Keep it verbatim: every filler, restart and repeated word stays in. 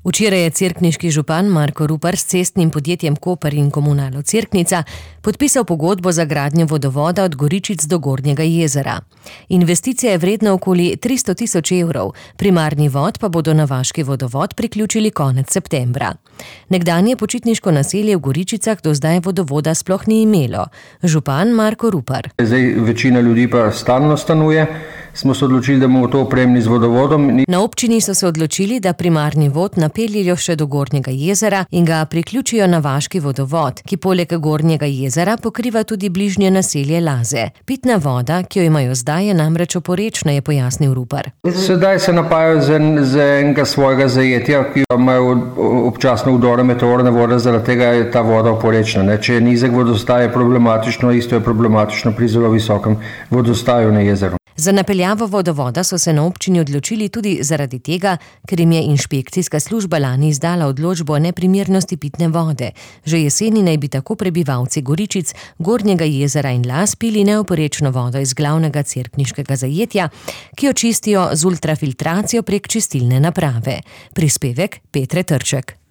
Včeraj je cerkniški župan Marko Rupar s cestnim podjetjem Koper in Komunalo Cerknica podpisal pogodbo za gradnjo vodovoda od Goričic do Gornjega jezera. Investicija je vredna okoli tristo tisoč evrov, primarni vod pa bodo na vaški vodovod priključili konec septembra. Nekdanje počitniško naselje v Goričicah do zdaj vodovoda sploh ni imelo. Župan Marko Rupar. Zdaj večina ljudi pa stalno stanuje. Smo se odločili, da bomo to opremili z vodovodom. Na občini so se odločili, da primarni vod napeljejo še do Gornjega jezera in ga priključijo na vaški vodovod, ki poleg Gornjega jezera pokriva tudi bližnje naselje Laze. Pitna voda, ki jo imajo zdaj, je namreč oporečna, je pojasnil Rupar. Sedaj se napajajo z, en, z enega svojega zajetja, ki imajo občasno vdore meteorne vode, zaradi tega je ta voda oporečna. Ne? Če je nizek vodostaj, je problematično, isto je problematično pri zelo visokem vodostaju na jezeru. Za napeljavo vodovoda so se na občini odločili tudi zaradi tega, ker jim je inšpekcijska služba lani izdala odločbo o neprimernosti pitne vode. Že jeseni naj bi tako prebivalci Goričic, Gornjega jezera in Laz pili neoporečno vodo iz glavnega cerkniškega zajetja, ki jo čistijo z ultrafiltracijo prek čistilne naprave. Prispevek Petre Trček.